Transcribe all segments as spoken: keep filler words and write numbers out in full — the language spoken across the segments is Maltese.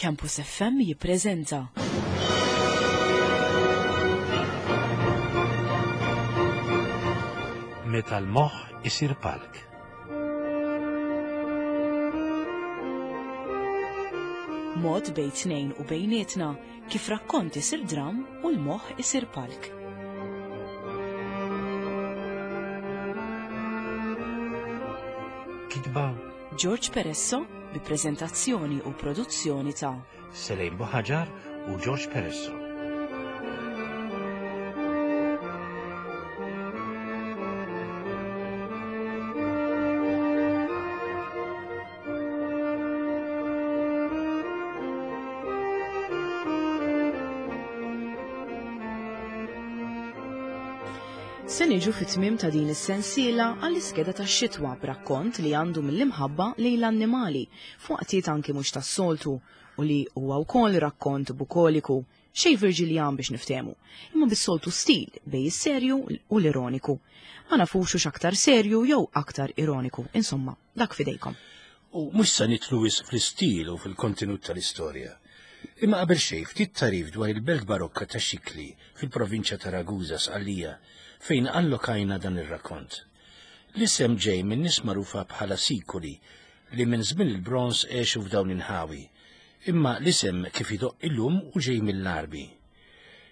Campus F M jippreżenta Meta l-moħħ isir palk. Mod bejn tnejn u bejnietna kif rakkont isir dram u l-moħħ isir palk. Kitba George Peresso bi preżentazzjoni u produzzjoni ta' Selejn Buħaġar u George Peresso. Se niġu fit-tmiem ta' din is-sensiela għall-iskeda tax-xitwa b'rakkont li għandu mill-imħabba lejn l-annimali f'waqtiet anki mhux tas-soltu u li huwa wkoll rakkont bukoliku, xejn Virgilian biex niftehmu, imma bis-soltu stil bejn is-serju u l-ironiku. Ma nafux hux aktar serju jew aktar ironiku, insomma, dak fidejkom. U mhux se nidħlu wisq fl-istil u fil-kontenut tal-istorja. Imma qabel xejn ftit tarif dwar il-belt barokka ta' Xikli fil-provinċja ta' Ragusa Sqallija fejn allokajna dan ir-rakkont. L-isem ġej minn nies magħrufa bħala Sikuli li minn żmien il-bronż għexu f'dawn inħawi, imma l-isem kif idoq illum u ġej mill-Għarbi.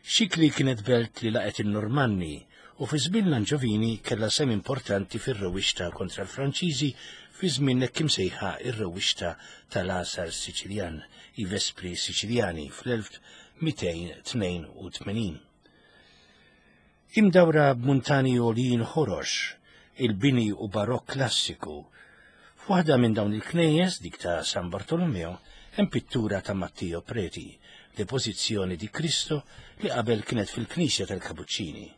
Xikli kienet belt li laqgħet in-Normanni u fi żmien l-Anġovini kellha sehem importanti fir-rewwixta kontra l-Franċiżi fi żmien hekk imsejħa ir-rewwixta tal-Għasar Siċiljan, i Vespri Siċiljani fl-elf mitejn tnejn u tmenin. Imdawra b'muntani għoljin ħorox, il-bini u barokk klassiku. F'waħda minn dawn il-knejjes, dik ta' San Bartolomeo, hemm pittura ta' Matteo Preti, Deposizione di Cristo, li qabel kienet fil-Knisja tal-Kapuċċini.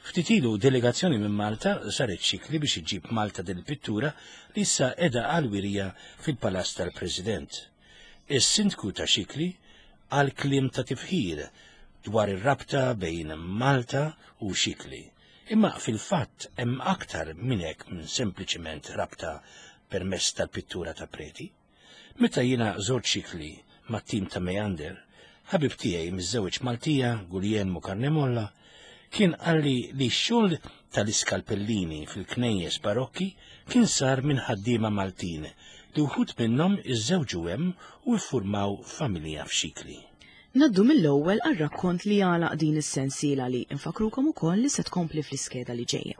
Ftit ilu delegazzjoni minn Malta saret Xikli biex iġġib Malta din il-pittura li issa qiegħda għal-wirja fil-Palazz tal-President. Is-sindku ta' Xikli għal kliem ta' tifħir dwar ir-rabta bejn Malta u Xikli. Imma fil-fatt hemm aktar minn hekk minn sempliċiment rabta permezz tal-pittura ta' Preti. Meta jiena żort Xikli mat-tim ta' Meander, ħabib tiegħi miż-żewġ Maltija, Guglielmo Carnemolla, kien qalli li x-xogħol tal-iskalpellini fil-knejjes barokki kien sar minn ħaddiema Maltin li wħud minnhom iżżewġu hemm u ffurmaw familja f'Xikli. Naddu mill-ewwel għar-rakkont li għalaq din is-sensiela li infakrukom ukoll li se tkompli fl-iskeda li ġejja.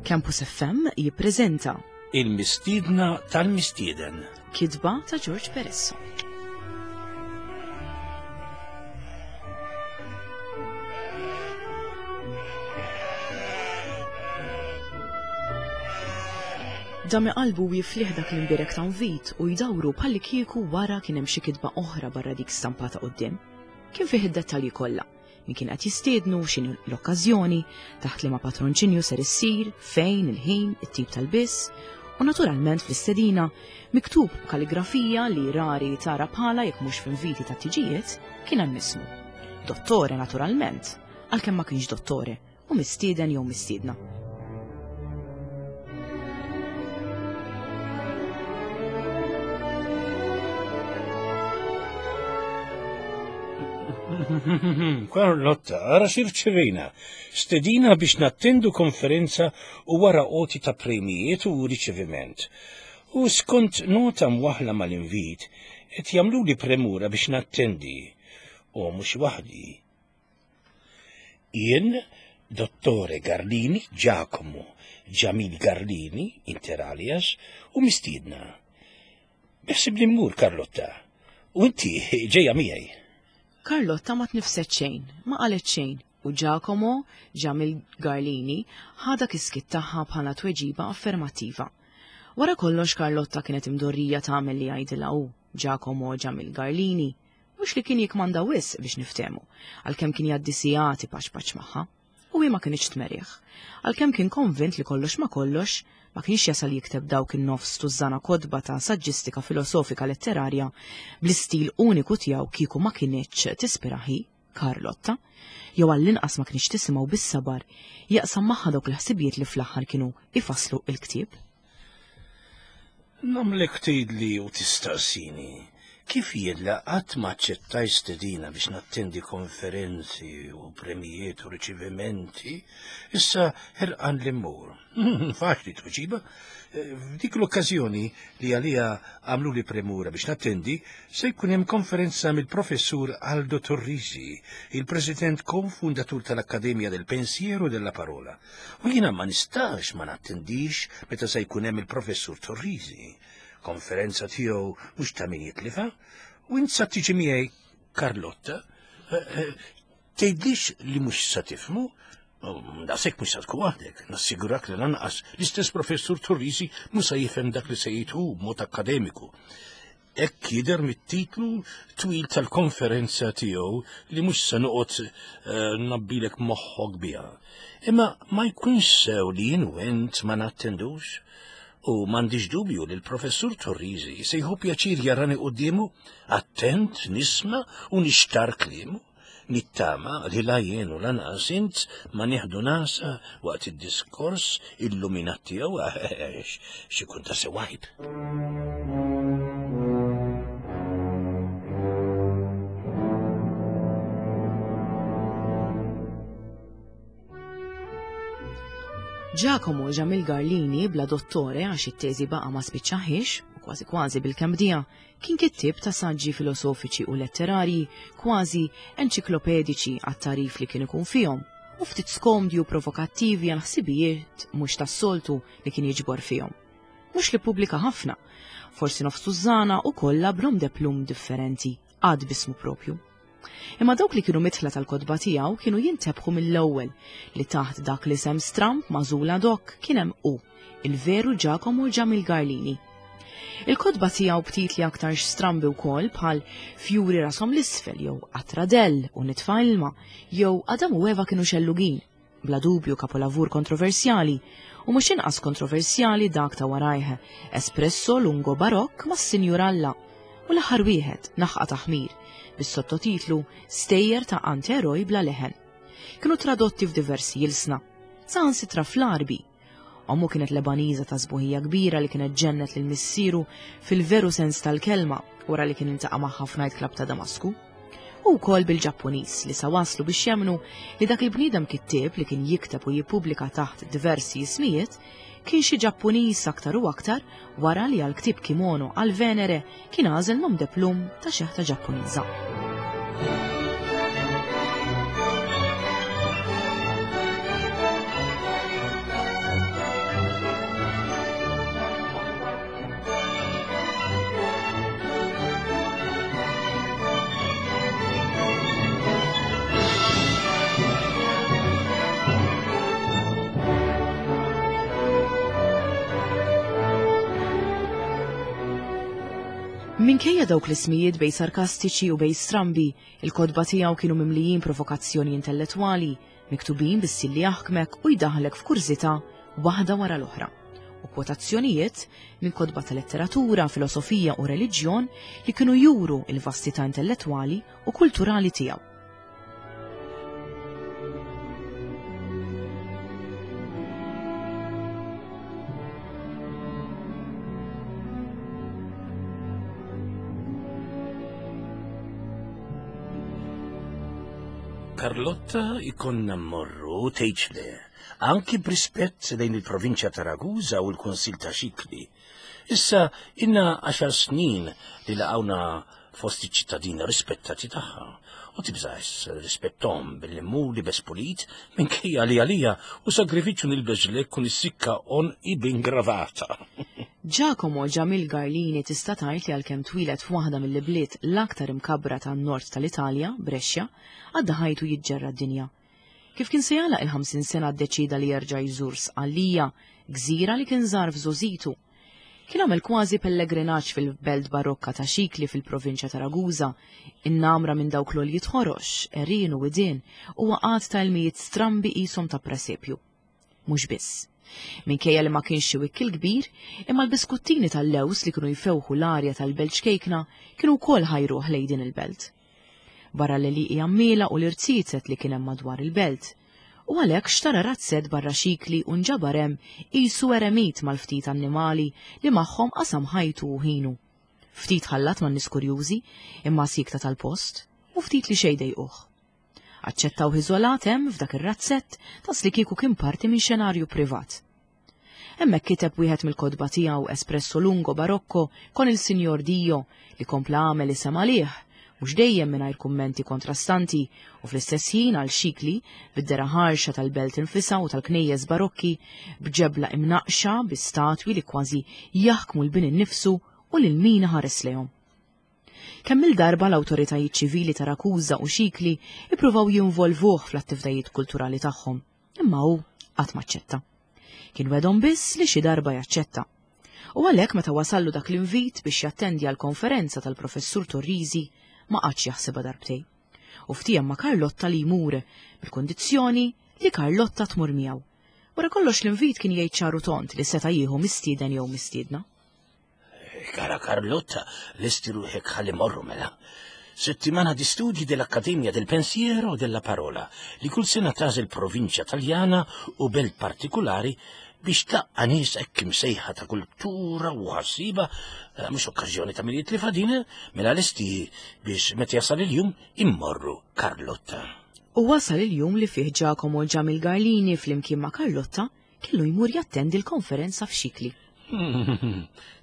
Campus F M jippreżenta Il-Mistiedna tal-Mistieden, kitba ta' George Peresso. Dami qalbu jifliħ dak l-imbirek ta' nvit u jdawru bħalli kieku wara kien hemm xi kitba oħra barra dik stampata quddiem. Kien fih id-dettalji kollha, min kien qed jistiednu, x'inhu l-okkażjoni, taħt liema patronċinju ser issir, fejn, il-ħin, it-tip tal-biss, u naturalment fl-istedina miktub b'kaligrafija li rari tara bħala jekk mhux f'inviti ta' tiġijiet, kien hemm ismu. Dottore naturalment, għalkemm ma kienx dottore, u mistieden jew mistiedna. Carlotta, ara xirċevejna. Stedina biex nattendu konferenza u wara qoti ta' premijiet u riċeviment. U skont nota mwaħla mal-invit, qed jagħmluli premura biex nattendi. U mhux waħdi. Jien, Dottore Garlini, Giacomo Jamil Garlini, inter alias, u mistiedna. Beħsibni mmur, Carlotta, u inti ġejja miegħi. Carlotta ma tnifset xejn, ma qalet xejn, u Giacomo Jamil Garlini ħadha kiskit tagħha bħala tweġiba affermattiva. Wara kollox Carlotta kienet imdorrija tagħmel li jgħidilha hu, Giacomo Jamil Garlini, mhux li kien jikmanda wisq biex niftehmu, għalkemm kien jgħaddi sigħati paċ paċ magħha, u hi ma kinitx tmerih. Għalkemm kien konvint li kollox ma kollox, ma kienx jasal jikteb dawk in-nofs tużżana kotba ta' saġġistika filosofika letterarja bl-istil uniku tiegħu kieku ma kinitx tispiraħi Carlotta, jew għall-inqas ma kienx tisimgħu bis-sabar jaqsam magħha dawk il-ħsibijiet li fl-aħħar kienu ifasslu il-ktieb. Nagħmlek tgħidli u tistaqsini kif jien qatt ma aċċettaj stedina biex nattendi konferenzi u premijiet u riċevimenti, issa ħerqan li mmur. Faċli tweġiba. F'dik l-okkażjoni li għalija għamlu li premura biex nattendi, se jkun hemm konferenza mill-professur Aldo Torrisi, il-president konfundatur tal-Akkademja del Pensiero della Parola. U jiena ma nistax ma nattendix meta se jkun hemm il-professur Torrisi. Konferenza tiegħu mhux ta' min jitlifa, u int sa tiġi miegħi Carlotta, tgħidlix li mhux sa tifhmu, daqshekk mhux sa tkun waħdek, nassigurak li lanqas l-istess professur Torrisi mhux se jifhem dak li se jgħid hu b'mod akkademiku. Hekk jidher mit-titlu twil tal-konferenza tiegħu li mhux se noqgħod nabbilek moħħok biha. Imma ma jkunx sew li jien u int ma nattendux. U m'għandix dubju li l-professur Torrisi se jieħu pjaċir jarani quddiemu, attent nisma' u nixtar kliemu. Nittama li la jien u lanqas int ma nieħdu nasa waqt id-diskors illuminat tiegħu għax xi kun ta' sewajb. Giacomo Jamil Garlini bla dottore għax it-teżi baqa' ma spiċċaħiex, u kważi kważi bil-kemm bdija, kien kittieb ta' saġġi filosofiċi u letterarji kważi enċiklopediċi għat-tarif li kien ikun fihom, u ftit skomdi u provokattivi għal ħsibijiet mhux tas-soltu li kien jiġbor fihom. Mhux li pubblika ħafna, forsi nofs tużżana u kollha b'nom de plum differenti, għad bismu propju. Imma dawk li kienu mitħla tal-kotba tiegħu kienu jintebħu mill-ewwel li taħt dak li sem stramp magħżula dok kien hemm hu, il-veru Giacomo Jamil Garlini. Il-kotba tiegħu b'titli aktar strambi wkoll bħal Fjuri rashom l-isfel jew Qatradell u nitfa' ilma jew Adam u Eva kienu xellugin, bla dubju kapolavur kontroversjali u mhux inqas kontroversjali dak ta' warajh Espresso Lungo Barokk mas-Sinjur Alla u l-aħħar wieħed Naħqa Taħmir bis-sottotitlu Stejjer ta' Anteroj bla leħen. Kienu tradotti f'diversi jilsna, saħansitra fl-Arbi. Ommu kienet Lebaniża ta' sbuħija kbira li kienet ġennet lil missieru fil-veru sens tal-kelma wara li kien iltaqa' magħha f'night club ta' Damasku. U wkoll bil-Ġappuniż li sa waslu biex jemnu li dak il-bniedem kittieb li kien jikteb u jippubblika taħt diversi ismijiet kien xi Ġappuniż aktar u aktar wara li għal ktieb kimono għal Venere kien għażel nom de plum ta' xeħta Ġappuniża. Minkejja dawk l-ismijiet bej sarkastiċi u bej strambi, il-kotba tiegħu kienu mimlijin provokazzjoni intellettwali, miktubin bis-stil li jaħkmek u jdaħlek f'kurżità waħda wara l-oħra, u kwotazzjonijiet minn kotba ta' letteratura, filosofija u reliġjon li kienu juru il-vastità intellettwali u kulturali tiegħu. Carlotta ikonna mmorru tgħidx le, anki b'rispett lejn il-provinċja ta' Ragusa u l-Kunsil ta' Xikli. Issa inna għaxar snin li laqgħuna fost iċ-ċittadini rispettati tagħha u tibżax rispettom billi mmur libes pulit minkejja li għalija u sagrifiċċju nilbeż lek u nissikka onqi b'ingravata. Giacomo Jamil Garlini tista' tgħid li għalkemm twieled f'waħda mill-ibliet l-aktar imkabbra tan-nord tal-Italja, Brescia, għadda ħajtu jiġġerra d-dinja. Kif kien se jagħlaq il-ħamsin sena ddeċida li jerġa' jżur Sqallija, gżira li kien żar f'żożitu. Kien għamel kważi pellegrinaġġ fil-belt barokka ta' Xikli fil-provinċja ta' Ragusa, innamra minn dawk l-għoljiet ħorox, għerien u widien, u waqgħat ta' ilmijiet strambi qishom ta' presepju. Mhux biss. Minkejja li ma kienx xi wikkil kbir, imma l-biskuttini tal-lews li kienu jfewħu l-arja tal-belt xkejkna kienu wkoll ħajruh lejn din il-belt. barra l-għelieqi għammiela u l-irziezet li kien hemm madwar il-belt. U għalhekk xtara razzett barra Xikli u nġabar hemm qisu eremit mal-ftit annimali li magħhom qasam ħajtu u ħinu. Ftit ħallat man-nies kurjużi, imma sikta tal-post, u ftit li xejn dejquh. Aċċettaw iżolat hemm f'dak ir-razzett tas li kieku kien parti minn xenarju privat. Hemmhekk kiteb wieħed mill-kotba tiegħu Espresso Lungo Barocco con il Signor Dio li kompla għamel isem għalih, mhux dejjem mingħajr kummenti kontrastanti u fl-istess ħin għal Xikli bid-dera ħarxa tal-belt infisha u tal-knejjes barokki b'ġebla imnaqxa bi statwi li kważi jaħkmu l-bini nnifsu u lil min ħares lejhom. Kemm il-darba l-awtoritajiet ċivili ta' Rakusa u Xikli ippruvaw jinvolvuh fl-attivitajiet kulturali tagħhom, imma hu qatt maċċetta. Kien wedhom biss li xi darba jaċċetta. U għalhekk meta wasallu dak l-invit biex jattendi għal konferenza tal-professur Torrisi ma qatx jaħsibha darbtej. U ftiehem ma' Carlotta li jmur bil-kondizzjoni li Carlotta tmur miegħu. Wara kollox l-invit kien jgħid ċaru tont li seta' jieħu mistieden jew mistiedna. Cara Carlotta, lesti ruħek ħalli morru mela. Settimana di studi dell'Accademia del Pensiero e della Parola, li kull sena tagħżel provinċja Taljana u belt partikolari biex tlaqqa' nies hekk imsejħa ta' kultura u ħassiba, mhux okkażjoni ta' min jitlifha din, mela lesti biex meta jasal il-jum immorru Carlotta. U wasal il-jum li fih Giacomo Jamil Garlini flimkien ma' Carlotta kellu jmur jattendi l-konferenza f'Xikli.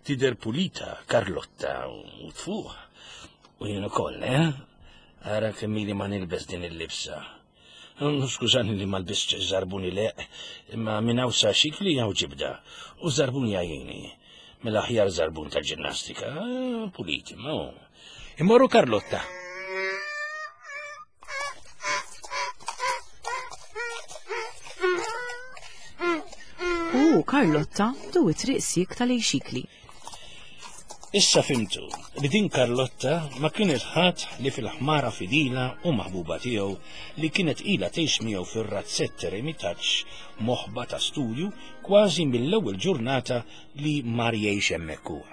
Tidher pulita, Carlotta, u tfuħ. U jien ukoll, eh? Ara kemm ili ma nilbes din il-libsa. Skużani li ma lbistx żarbuni leq, imma minn hawn sa Xikli hawn ġibda. U żarbun jgħajjini. Mela aħjar żarbun tal-ġinnastika, pulit, imma hu. Immorru Carlotta. U Carlotta bdew it-triq siekta lejn Xikli. Issa fimtu li din Carlotta ma kienet ħadd li fil-ħmara fidila u maħbuba tiegħu li kienet ilha tgħix miegħu fir-razzett eremitaġġ moħba ta' studju kważi mill-ewwel ġurnata li mar jgħix hemmhekk huwa.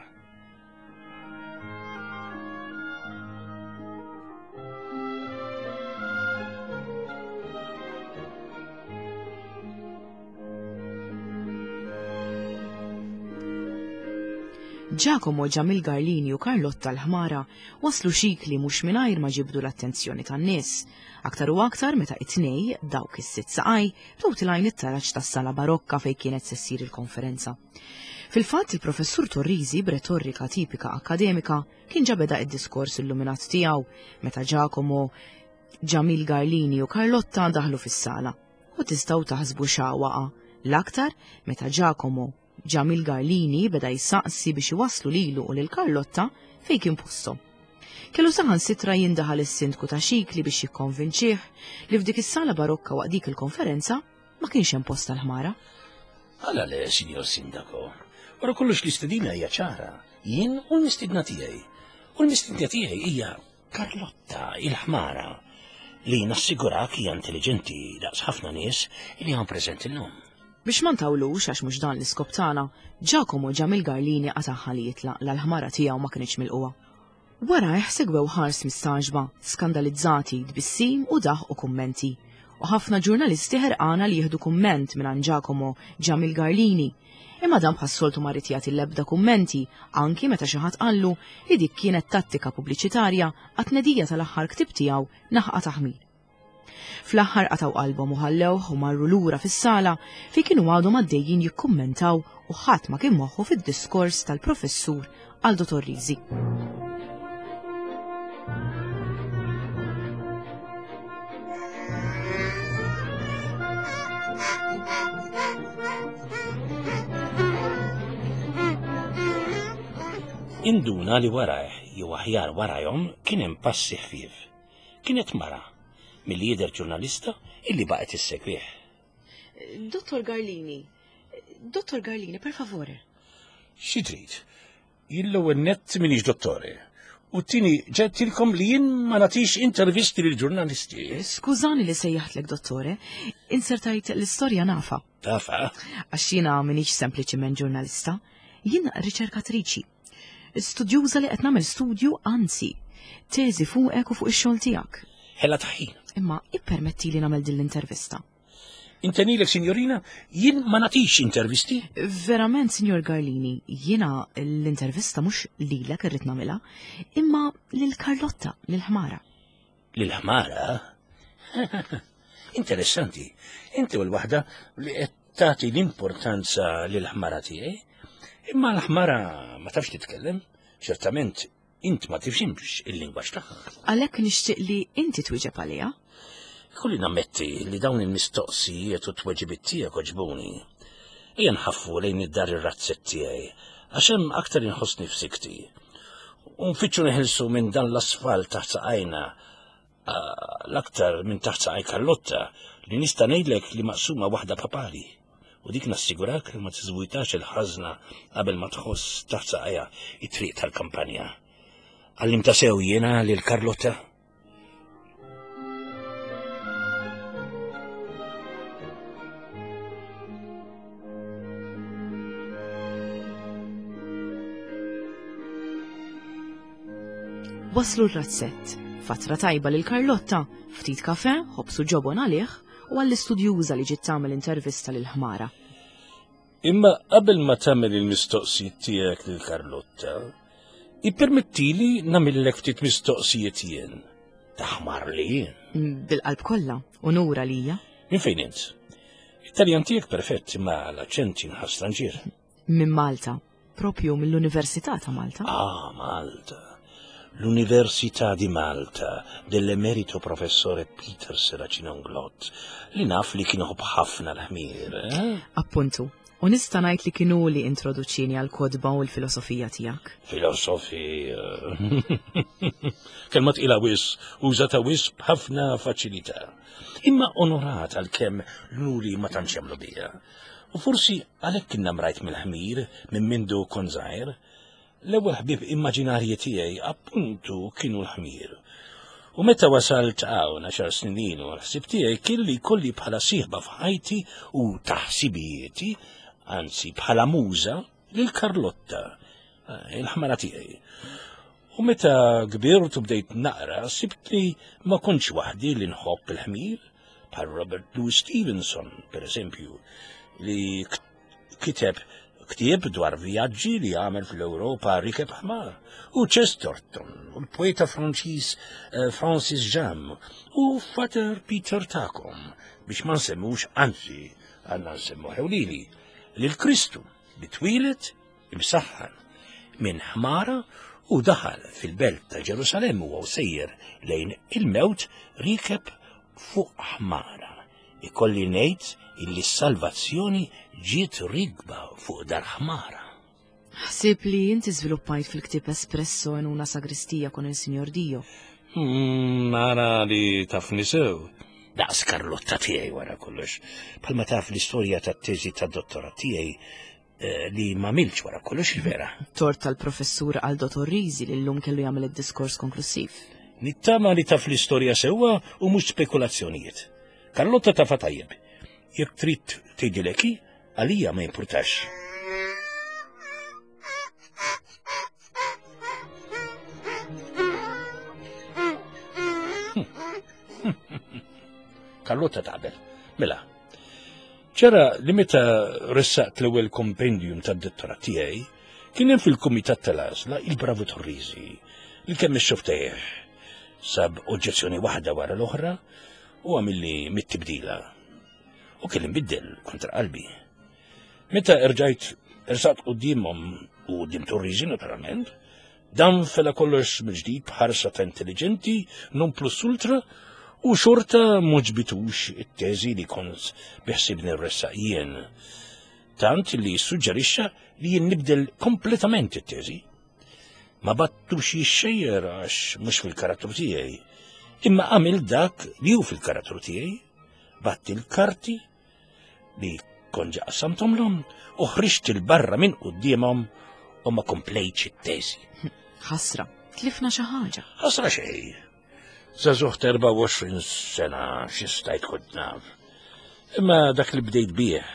Giacomo Jamil Garlini u Carlotta l-ħmara waslu Xikli mhux mingħajr ma ġibdu l-attenzjoni tan-nies. Aktar u aktar meta it-tnej dawk is-sitt saqaj bdew tilgħin it-taraġ tas-sala barokka fejn kienet se ssir il-konferenza. Fil-fatt il-professur Torrisi b'retorika tipika akkademika kien ġa beda id-diskors illuminat tiegħu meta Giacomo Jamil Garlini u Carlotta daħlu fis-sala. U tistgħu taħsbu x'waqa' l-aktar meta Giacomo Jamil Garlini beda jisaqsi biex iwasslu lilu u lil Carlotta fejn kien posthom. Kellu saħansitra jindaħal is-sindku ta' Xikli biex jikkonvinċih li f'dik is-sala barokka waqt dik il-konferenza ma kienx hemm post tal-ħmara. Għala le, signor Sindaco, wara kollox l-istedina hija ċara, jien u l-mistedna tiegħi. U l-mistedna tiegħi hija Carlotta il-ħmara li nassigurak hija intelligenti daqs ħafna nies li hawn preżenti llum. Biex ma ntawlux għax mhux dan l-iskop tagħna, Giacomo Jamil Garlini qataħħa li jitlaq l-ħmara tiegħu ma kienx milquha. Wara segwew ħars mistaġba, skandalizzati, tbissim u daħ u kummenti. U ħafna ġurnalisti ħerqana li jieħdu kumment minn Giacomo Jamil Garlini. Imma dan bħas-soltu ma rid jagħti l-ebda kummenti, anki meta xi ħadd qallu li dik kienet tattika pubbliċitarja għat-tnedija tal-aħħar ktib tiegħu Naħqa Taħmil. Fl-aħħar qataw qalbhom u ħallewh u marru lura fis-sala fejn kienu għadhom għaddejjin jikkummentaw u ħadd ma kien moħħu fid-diskors tal-professur Aldo Torrisi. Induna li warajh jew aħjar warajhom kien hemm passi ħfief. Kienet mara milli jidher ġurnalista illi baqgħet issegwih. Dottor Garlini, Dottor Garlini, per favore. Xi trid? Jien l-ewwel nett m'iniex dottore. U t-tieni ġedtilkom li jien ma nagħtix intervisti lil ġurnalisti. Skużani li sejjaħtlek dottore, insertajt l-istorja nafa. Tafa? Għax jiena m'iniex sempliċiment ġurnalista, jien riċerkatriċi. Studjuża li qed nagħmel studju, anzi, teżi fuqek u fuq ix-xogħol tiegħek. Ħela taħin. Imma ippermetti li nagħmel din l-intervista. Intenilek, signorina, jien ma nagħtix intervisti. Verament, Signor Garlini, jiena l-intervista mhux lilek irrid nagħmilha, imma lil Carlotta, lil ħmara. Lil ħmara? Interessanti. Inti u l-waħda li qed tagħti l-importanza lil ħmara tiegħi. Imma l-ħmara ma tafx titkellem, ċertament int ma tifhimx il-lingwaġġ tagħha. Għalhekk nixtieq li inti twieġeb għaliha. Kolli nammetti li dawn il-mistoqsijiet u t-tweġibiet tiegħek għoġbuni. Ejja nħaffu lejn id-dar ir-razzett tiegħi, għax hemm aktar inħossni f'sikti. U nfittxu neħilsu minn dan l-asfalt taħt saqajna, l-aktar minn taħt saqaj Carlotta, li nista' ngħidlek li maqsuma waħda papali. U dik nassigurak li ma tiżwitax il-ħażna qabel ma tħoss taħt saqajha it-triq tal-kampanja. Għallimta sew jiena lil Carlotta? Waslu r-razzett, fatra tajba lil Carlotta, ftit kafe, ħobsu ġobon għalih u għall-istudjuża li ġiet tagħmel intervista lil ħmara. Imma qabel ma tagħmel il-mistoqsijiet tiegħek lil Carlotta, ippermettili nagħmillek ftit mistoqsijiet jien. Taħmar li jien. Bil-qalb kollha, unura lija. Min fejn int? It-Taljan tiegħek perfett, imma l-aċċent jinħass stranġier. Minn Malta, propju mill-Università ta' Malta. Ah, Malta. L-Università di Malta dell'emerito professore Peter Serracino Inglott, li naf li kien iħobb ħafna l-ħmir. Eh? Appuntu, u nista' ngħid li kienu li introduċini għal kodba u l-filosofija tiegħek. Filosofija. Kelma tqila wis, użata wis b'ħafna faċilità. Imma onorat għalkemm luli ma tantx jagħmlu bija. U forsi għalhekk kien namrajt mill-ħmir minn mindu kont żgħir. L-ewwel ħbieb immaġinarji tiegħi appuntu kienu l-ħmir. U meta wasalt hawn għaxar snin ilu, l-ħsieb tiegħi kien li jkolli bħala sieħba f'ħajti u taħsibijieti, anzi bħala muża, lil Carlotta, il-ħmara tiegħi. U meta kbirt u bdejt naqra, sibt li ma kontx waħdi li nħobb il-ħmir, bħal Robert Louis Stevenson, per eżempju, li kiteb ktieb dwar vjaġġi li għamel fl-Ewropa rikeb ħmar, u Chesterton, u l-poeta Franċiż Francis Jammes, u Father Peter Takom, biex ma nsemmux, anzi, għandna nsemmu ħewlili, lil Kristu li twieled imsaħħan minn ħmara u daħal fil-belt ta' Ġerusalemm u sejjer lejn il-mewt rikeb fuq ħmara. Ikolli ngħid illi s-salvazzjoni ġiet rigba fuq dar ħmara. Ħsib li inti żviluppajt fil-ktieb Espresso in una sagristia con il Signor Dio. Nara li tafni sew. Daqs Carlotta tiegħi wara kollox. Bħalma taf l-istorja tat-teżi tad-dottorat tiegħi li ma milx wara kollox il-vera. Tort tal-professur Aldo Torrisi li llum kellu jagħmel id-diskors konklusiv. Nittama li taf l-istorja sewwa u mhux spekulazzjonijiet. Carlotta tafa tajjeb. Jekk trid tgħidilek hi, għalija ma jimpurtax. Carlotta taqbel. Mela, ċara li meta ressaqt l-ewwel kompendium tad-dottorat tiegħi, kien hemm fil-kumitat tal-għażla il-Bravo Torrisi li kemm ix-xoftejh sab oġġezzjoni waħda wara l-oħra u għamilli mit-tibdila. U kelli nbiddel kontra qalbi. Meta erġajt ersaqt quddiemhom u quddiem Torrisi naturalment, dan fela kollox mill-ġdid b'ħarsa ta' intelligenti non plus ultra u xorta m'għoġbitux it-teżi li kont biħsibni rressaq jien. Tant li suġġerixxa li jien nibdel kompletament it-teżi. Ma battux jixxejjer għax mhux fil-karattru tiegħi, imma għamil dak li hu fil-karattru tiegħi, batt il-karti li kont ġa qassamthomlhom u ħriġt il-barra minn quddiemhom u ma komplejtx it-teżi. Ħasra, tlifna xi ħaġa. Ħasra xejn. Żagħżugħ ta' erbgħa u għoxrin sena xi stajt kont naf. Imma dak li bdejt bih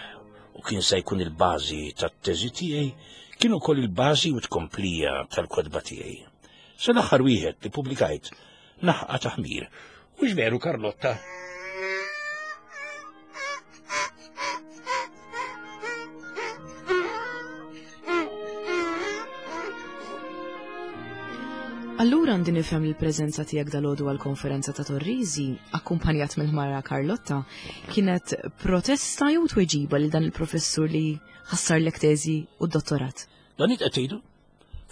u kien se jkun il-bażi tat-teżi tiegħi, kien ukoll il-bażi u tkomplija tal-kotba tiegħi. Se l-aħħar wieħed li pubblikajt naħqa ta' ħmir. Hux veru, Karlotta? Allura għandi nifhem li l-preżenza tiegħek dalgħodu għall-konferenza ta' Torrisi, akkumpanjat mill-ħmara Karlotta, kienet protesta jew tweġiba lil dan il-professur li ħassarlek teżi u d-dottorat? Dan qed tgħidu?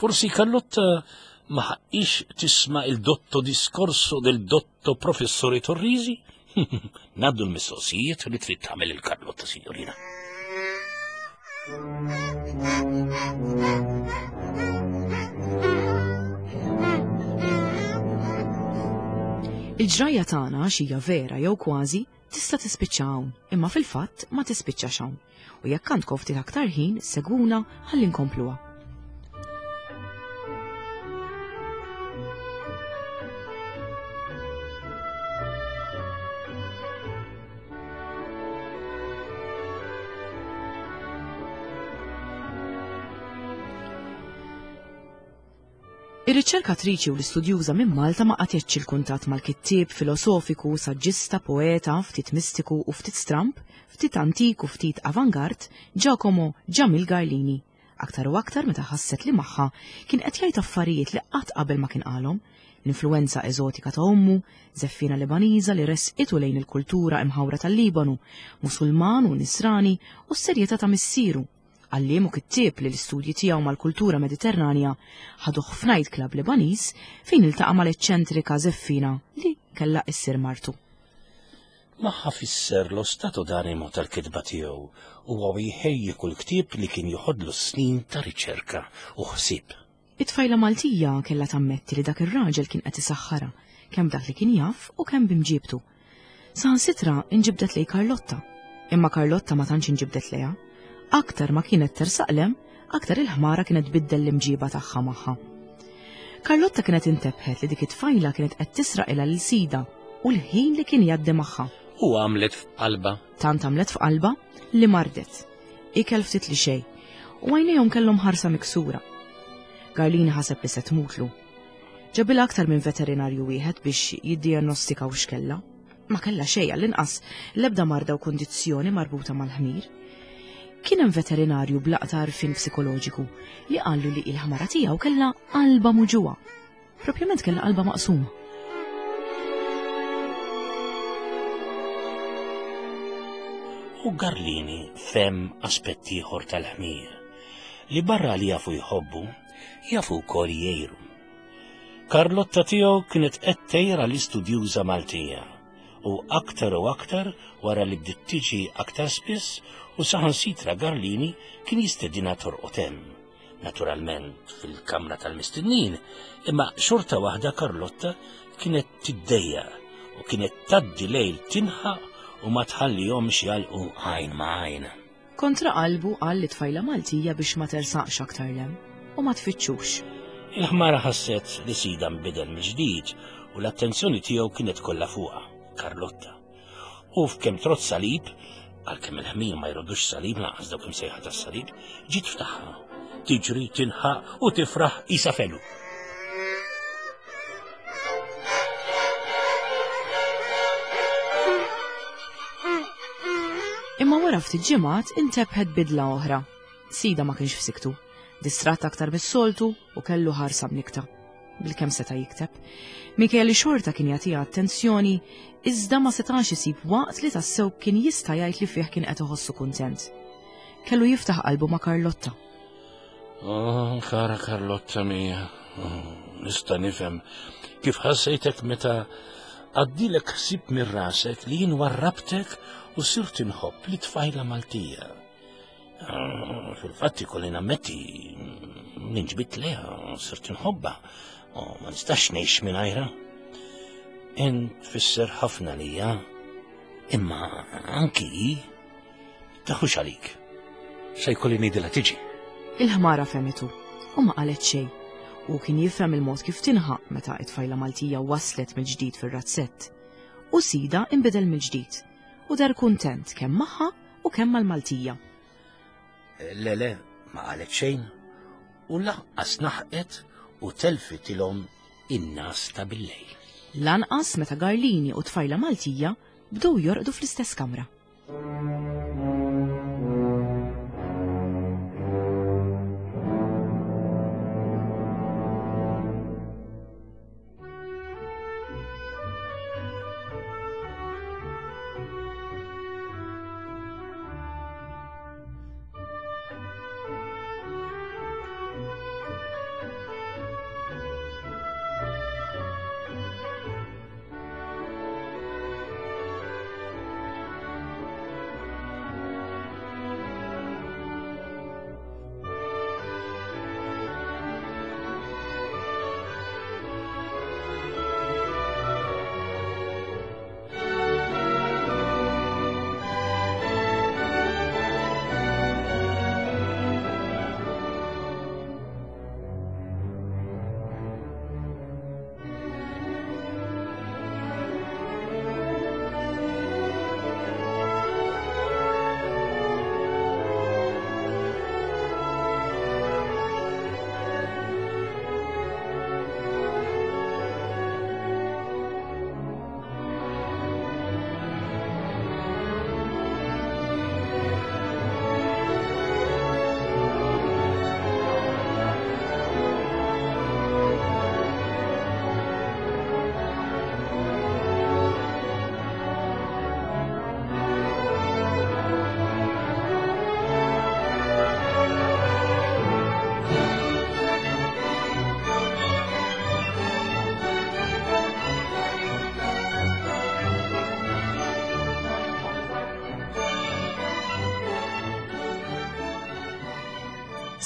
Forsi Karlotta ma ħaqqix tisma' il-dotto discorso del dotto professore Torrisi? Ngħaddu l-mistoqsijiet li trid tagħmel il-Karlotta, signorina. Il-ġrajja tagħna xija vera jew kważi tista' tispiċċa hawn, imma fil-fatt ma tispiċċax hawn. U jekk għandkom ftit aktar ħin, segwuna ħalli nkompluha. Ir-riċerkatriċi u l-istudjuża minn Malta ma qatgħetx il-kuntatt mal-kittieb, filosofiku, saġġista, poeta, ftit mistiku u ftit stramp, ftit antik u ftit avangard, Giacomo Jamil Garlini. Aktar u aktar meta ħasset li magħha kien qed jgħid affarijiet li qatt qabel ma kien qalhom, l-influenza eżotika ta' ommu, żeffina Lebaniża li resqitu lejn il-kultura imħawra tal-Libanu, Musulman u Nisrani u s-serjetà ta' missieru. Għalliem u kittieb li l-istudji tiegħu mal-kultura Mediterranja ħaduh f'night club Lebaniż fejn iltaqa' mal-eċċentrika żeffina li kellha issir martu. Magħha fisser lo stato d'animo tal-kitba tiegħu u huwa jħejji kull ktieb li kien joħodlu snin ta' riċerka u ħsieb. It-tfajla Maltija kellha tammetti li dak ir-raġel kien qed isaħħarha kemm dak li kien jaf u kemm bimġibtu. Saħansitra inġibdet lej Karlotta, imma Karlotta ma tantx inġibdet lejha. Aktar ma kienet tersaqlem, aktar il-ħmara kienet tbiddel l-imġiba tagħha magħha. Karlotta kienet intebħet li dik it-tfajla kienet qed tisraq ilha lil sida u l-ħin li kien jgħaddi magħha. U għamlet f'qalba. Tant għamlet f'qalba li mardet. Ikel ftit li xejn u għajnejhom kellhom ħarsa miksura. Garlini ħaseb li se tmutlu. Ġabilha aktar minn veterinarju wieħed biex jiddiagnostika x'kellha. Ma kellha xejn għall-inqas l-ebda marda u kundizzjoni marbuta mal-ħmir. Kien hemm veterinarju b'laqta għarfien psikoloġiku li qallu li l-ħmara tiegħu kellha qalba muġugħa. Propjament kellha qalba maqsuma. U Garlini fem aspett ieħor tal-ħmir li barra li jafu jħobbu, jafu wkoll jgħiru. Karlotta tiegħu kienet qed tgħir l-istudjuża Maltija u aktar u aktar wara li bdiet tiġi aktar spiss u saħansitra Garlini kien jistedina torqod hemm. Naturalment fil-kamra tal-mistednin, imma xorta waħda Karlotta kienet tiddejjaq u kienet tgħaddi lejl tinħaq u ma tħallihomx jgħalqu għajn ma' għajn. Kontra qalbu qal li tfajla Maltija biex ma tersaqx aktar lem u ma tfittxux. Il-ħmara ħasset li sida nbidel mill-ġdid u l-attenzjoni tiegħu kienet kollha fuqha, Karlotta. U f'kemm trott salib, għalkemm il-ħmir ma jrodux salib lanqas dawk imsejħa tas-salib, ġiet ftaħha, tiġri, tinħaq u tifraħ isa felu. Imma wara ftit ġimgħat intebħet bidla oħra. Sida ma kienx f'siktu, distratt aktar mis-soltu u kellu ħarsa mnikta. Bilkemm seta' jikteb. Minkejja li xorta kien jagħtiha attenzjoni, iżda ma setax isib waqt li tassew kien jista' jgħid li fih kien qed iħossu kuntent. Kellu jiftaħ qalbu ma' Karlotta. Oh, kara Karlotta mia, oh, nista' nifhem kif ħassejtek meta għaddilek ħsieb minn rasek li jien warrabtek u sirt inħobb li tfajla Maltija. Oh, fil-fatt ikolli nammetti ninġbit lejha, sirt inħobbha. Oh, ma nistax ngħix mingħajrha. Int tfisser ħafna lija, imma anki hi taħux għalik. Se jkolli ngħidilha tiġi. Il-ħmara fehmitu u ma qalet xejn. U kien jifhem il-mod kif tinħaq meta t-tfajla Maltija waslet mill-ġdid fir-razzett. U sida inbidel mill-ġdid u dar kuntent kemm magħha u kemm mal-Maltija. Lele ma qalet xejn u lanqas naħqet u telfitilhom in-nas ta' billejl. Lanqas meta Garlini u tfajla Maltija bdew jorqdu fl-istess kamra.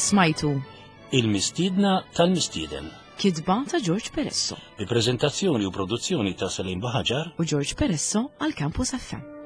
Smajtu Il-mistiedna tal-mistieden. Kitba ta' George Peresso Bi prezentazzjoni u produzzjoni ta' Salim Baħaġar u George Peresso għal Campus F M.